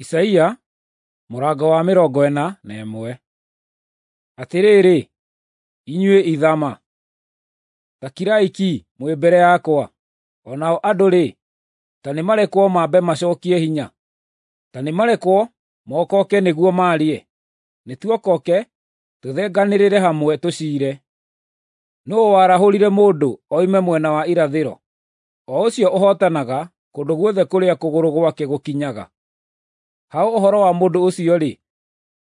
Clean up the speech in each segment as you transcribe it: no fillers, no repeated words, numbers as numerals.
Isaia mũrango wa 41. Atĩrĩrĩ, inyuĩ ithama, ta kirai ki mwĩ mbere yakwa; o nao andũ-rĩ, ta nĩmarekwo mambe macookie hinya. Ta nĩmarekwo mokoke nĩguo maarie; nĩtuokoke tũthenganĩrĩre hamwe tũciire. Nũũ warahũrire mũndũ oime mwena wa irathĩro, o ũcio ũhootanaga kũndũ guothe kũrĩa kũgũrũ gwake gũkinyaga? Ha ũhoro wa mũndũ ũcio-rĩ,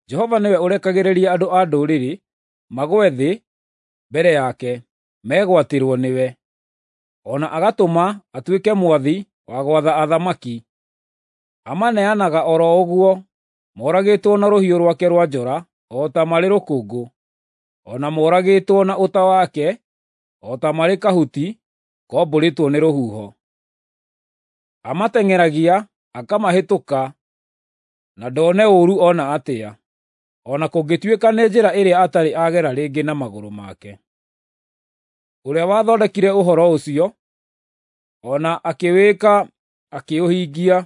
Jehova nĩwe ũrekagĩrĩria andũ a ndũrĩrĩ magũe thĩ mbere yake, megwatĩrwo nĩwe, o na agatũma atuĩke mwathi wa gwatha athamaki. Amaneanaga o ro ũguo, moragĩtwo na rũhiũ rwake rwa njora o ta marĩ rũkũngũ, o na moragĩtwo na ũta wake o ta marĩ kahuti kombũrĩtwo nĩ rũhuho. Amateng'eragia akamahĩtũka na ndone ũũru o na atĩa, o na kũngĩtuĩka nĩ njĩra ĩrĩa atarĩ agera rĩngĩ na magũrũ make. Ũrĩa wathondekire ũhoro ũcio, o na akĩwĩka akĩũhingia,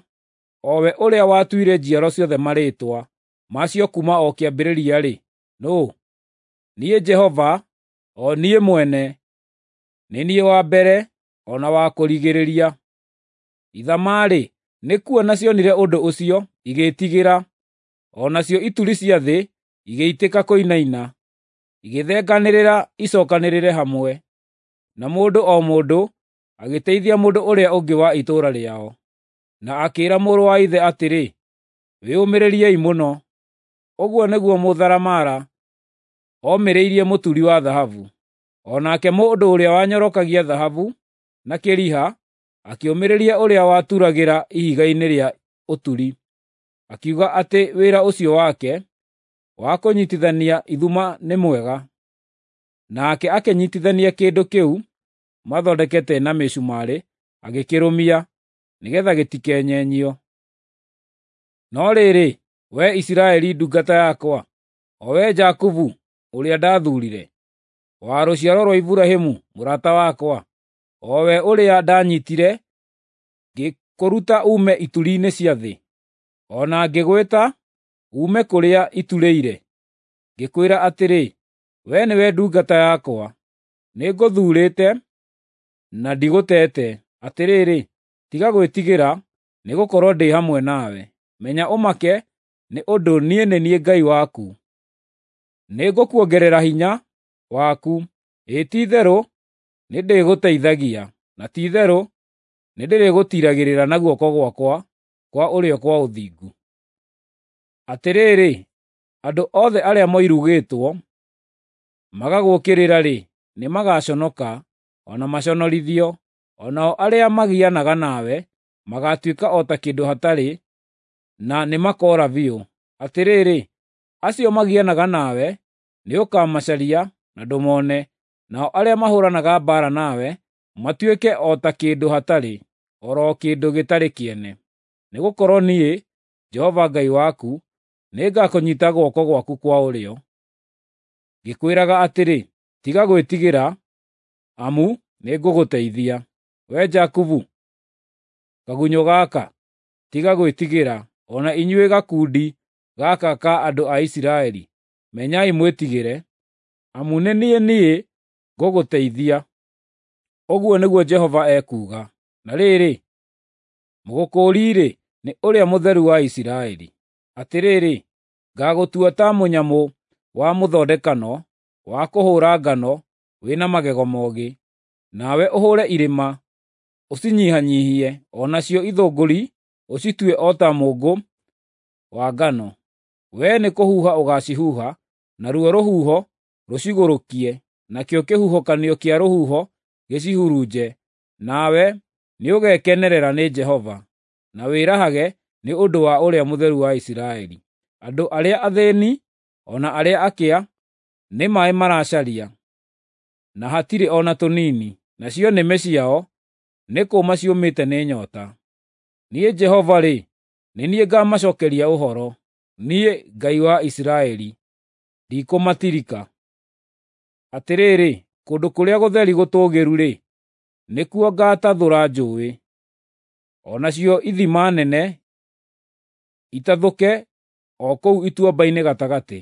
o we ũrĩa watuire njiaro ciothe marĩĩtwa macio kuuma o kĩambĩrĩria-rĩ, nũũ? Niĩ Jehova, o niĩ mwene, nĩ niĩ wa mbere o na wa kũrigĩrĩria. Ithama-rĩ, nĩkuona cionire ũndũ ũcio igĩĩtigĩra, o nacio ituri cia thĩ igĩitĩka kũinaina, igĩthenganĩrĩra icookanĩrĩre hamwe, na mũndũ o mũndũ agĩteithia mũndũ ũrĩa ũngĩ wa itũũra rĩao, na akĩĩra mũrũ wa ithe atĩrĩ, “Wĩyũmĩrĩriei mũno!” Ũguo nĩguo mũtharamara omĩrĩirie mũturi wa thahabu, o nake mũndũ ũrĩa wanyorokagia thahabu na kĩriha akĩũmĩrĩria ũrĩa waturagĩra ihiga-inĩ rĩa ũturi, akiuga atĩ wĩra ũcio wake wa kũnyiitithania ithuma nĩ mwega. Nake akĩnyiitithania kĩndũ kĩu mathondekete na mĩcumarĩ agĩkĩrũmia, nĩgeetha gĩtikenyenyio. No rĩrĩ, wee Isiraeli ndungata yakwa, o wee Jakubu ũrĩa ndathuurire, wa rũciaro rwa Iburahĩmu mũrata wakwa, o we ũrĩa ndanyiitire ngĩkũruta uume ituri-inĩ cia thĩ, o na ngĩgwĩta uume kũrĩa iturĩire, ngĩkwĩra atĩrĩ, ‘Wee nĩwe ndungata yakwa,’ nĩngũthuurĩte na ndigũteete. Atĩrĩrĩ, tiga gwĩtigĩra, nĩgũkorwo ndĩ hamwe nawe; menya ũmake, nĩ ũndũ niĩ nĩ niĩ Ngai waku. Nĩngũkuongerera hinya waku, ĩĩ ti-itherũ nĩndĩgũteithagia, na ti-itherũ nĩndĩrĩgũtiiragĩrĩra na guoko gwakwa kwa ũrĩo kwa ũthingu. Atĩrĩrĩ, andũ othe arĩa moirugĩtwo magagũũkĩrĩra-rĩ, nĩmagaconoka o na maconorithio, o nao arĩa magianaga nawe magaatuĩka o ta kĩndũ hatarĩ, na nĩmakoora biũ. Atĩrĩrĩ, acio magianaga nawe nĩũkamacaria na ndũmone, nao arĩa mahũũranaga mbaara nawe matuĩke o ta kĩndũ hatarĩ, o ro kĩndũ gĩtarĩ kĩene. Nĩgũkorwo niĩ, Jehova Ngai waku, nĩngakũnyiita guoko gwaku kwa ũrĩo, ngĩkwĩraga atĩrĩ, ‘Tiga gwĩtigĩra, amu nĩngũgũteithia. Wee Jakubu, kagunyũ gaka, tiga gwĩtigĩra, o na inyuĩ gakundi gaka ka andũ a Isiraeli, menyai mwĩtigĩre, amu nĩ niĩ niĩ ngũgũteithia,’ ũguo nĩguo Jehova ekuuga. Na rĩrĩ, mũgũkũũri-rĩ, nĩ Ũrĩa Mũtheru wa Isiraeli. Atĩrĩrĩ, ngaagũtua ta mũnyamũ wa mũthondekano wa kũhũũra ngano wĩ na magego moogĩ, nawe ũhũũre irĩma ũcinyihanyiihie, o nacio ithũngũri ũcitue o ta mũũngũ wa ngano. Wee nĩkũhuha ũgaacihuha, naruo rũhuho rũcigũrũkie, nakĩo kĩhuhũkanio kĩa rũhuho gĩcihurunje. Nawe nĩũgekenerera nĩ Jehova, na wĩrahage nĩ ũndũ wa Ũrĩa Mũtheru wa Isiraeli. Andũ arĩa athĩĩni o na arĩa akĩa nĩ maaĩ maracaria, na hatirĩ o na tũnini, nacio nĩmĩ ciao nĩ kũũma ciũmĩte nĩ nyoota. Niĩ Jehova-rĩ, nĩ niĩ ngaamacookeria ũhoro; niĩ, Ngai wa Isiraeli, ndikũmatirika. Atĩrĩrĩ, kũndũ kũrĩa gũtheri gũtũũgĩru-rĩ, nĩkuo ngaatathũra njũũĩ, o nacio ithima nene itathũke o kũu ituamba-inĩ gatagatĩ.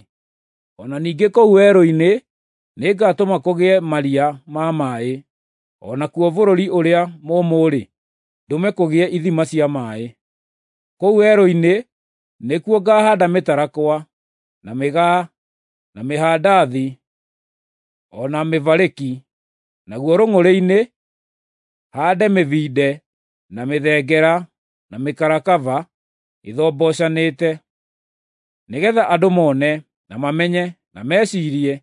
O na ningĩ kũu werũ-inĩ nĩngatũma kũgĩe maria ma maaĩ, o nakuo bũrũri ũrĩa mũũmũ-rĩ, ndũme kũgĩe ithima cia maaĩ. Kũu werũ-inĩ nĩkuo ngahaanda mĩtarakwa, na mĩgaa, na mĩhandathi, o na mĩbarĩki; naguo rũng'ũrĩ-inĩ haande mĩbinde, na mĩthengera, na mĩkarakaba ithombocanĩte, nĩgeetha andũ mone, na mamenye, na meciirie,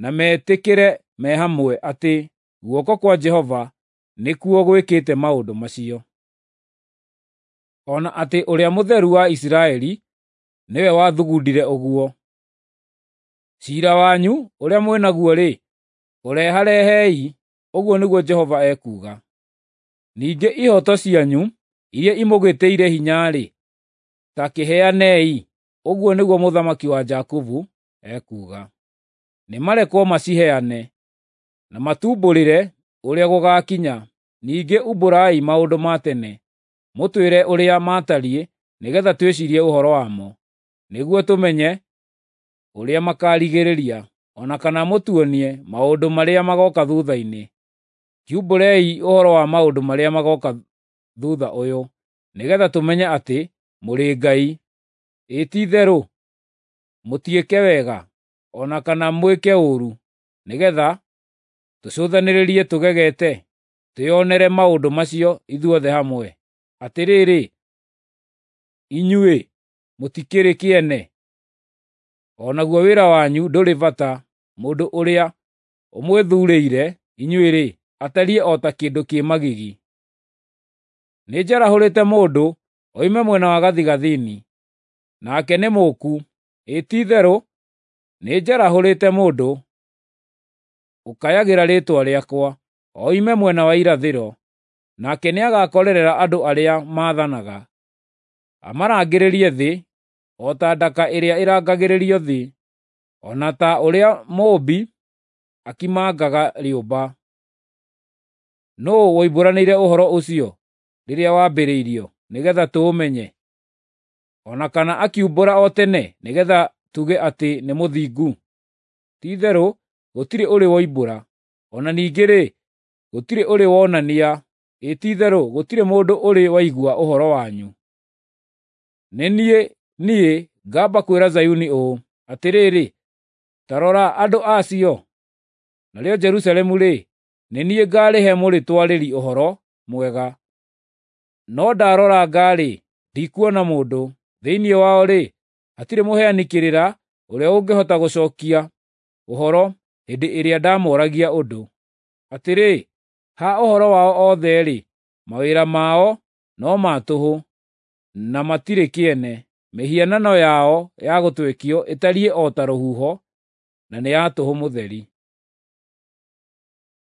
na metĩkĩre me hamwe atĩ guoko kwa Jehova nĩkuo gwĩkĩte maũndũ macio, o na atĩ Ũrĩa Mũtheru wa Isiraeli nĩwe wathugundire ũguo. Ciira wanyu ũrĩa mwĩ naguo-rĩ, ũreharehei, ũguo nĩguo Jehova ekuuga. Ningĩ ihooto cianyu iria imũgĩtĩire hinya-rĩ, ta kĩheanei, ũguo nĩguo Mũthamaki wa Jakubu ekuuga. Nĩmarekwo maciheane, na matumbũrĩre ũrĩa gũgaakinya. Ningĩ umbũrai maũndũ ma tene, mũtwĩre ũrĩa maatariĩ nĩgeetha twĩciirie ũhoro wamo, nĩguo tũmenye ũrĩa makaarigĩrĩria, o na kana mũtuonie maũndũ marĩa magooka thuutha-inĩ. Kiumbũrei ũhoro wa maũndũ marĩa magooka thuutha ũyũ, nĩgeetha tũmenye atĩ mũrĩ ngai. Ĩ ti-itherũ mũtiĩke wega, o na kana mwĩke ũũru, nĩgeetha tũcũthanĩrĩrie tũgegete, twĩonere maũndũ macio ithuothe hamwe. Atĩrĩrĩ, inyuĩ mũtikĩrĩ kĩene, o naguo wĩra wanyu ndũrĩ bata. Mũndũ ũrĩa ũmwĩthuurĩire inyuĩ-rĩ, atariĩ o ta kĩndũ kĩ magigi. Nĩnjarahũrĩte mũndũ oime mwena wa gathigathini, nake nĩ mũũku; ĩ ti-itherũ nĩnjarahũrĩte mũndũ ũkayagĩra rĩĩtwa rĩakwa, oime mwena wa irathĩro, nake nĩagakorerera andũ arĩa maathanaga, amarangĩrĩrie thĩ o ta ndaka ĩrĩa ĩrangagĩrĩrio thĩ, o na ta ũrĩa mũũmbi akimangaga rĩũmba. Nũũ woimbũranĩire ũhoro ũcio rĩrĩa wambĩrĩirio, nĩgeetha tũũmenye, o na kana akiumbũra o tene nĩgeetha tuge atĩ nĩ mũthingu? Ti-itherũ gũtirĩ ũrĩ woimbũra, o na ningĩ-rĩ, gũtirĩ ũrĩ wonania; ĩ ti-itherũ gũtirĩ mũndũ ũrĩ waigua ũhoro wanyu. Nĩ niĩ, niĩ, ngamba kwĩra Zayuni ũũ, ‘Atĩrĩrĩ, ta rora andũ acio!’ Narĩo Jerusalemu-rĩ, nĩ niĩ ngaarĩhe mũrĩtwarĩri ũhoro mwega. No ndaroranga-rĩ, ndikuona mũndũ; thĩinĩ wao-rĩ, hatirĩ mũheani kĩrĩra ũrĩa ũngĩhota gũcookia ũhoro hĩndĩ ĩrĩa ndamooragia ũndũ. Atĩrĩ, ha ũhoro wao othe-rĩ, mawĩra mao no ma tũhũ, na matirĩ kĩene; mĩhianano yao ya gũtwekio ĩtariĩ o ta rũhuho, na nĩ ya tũhũ mũtheri.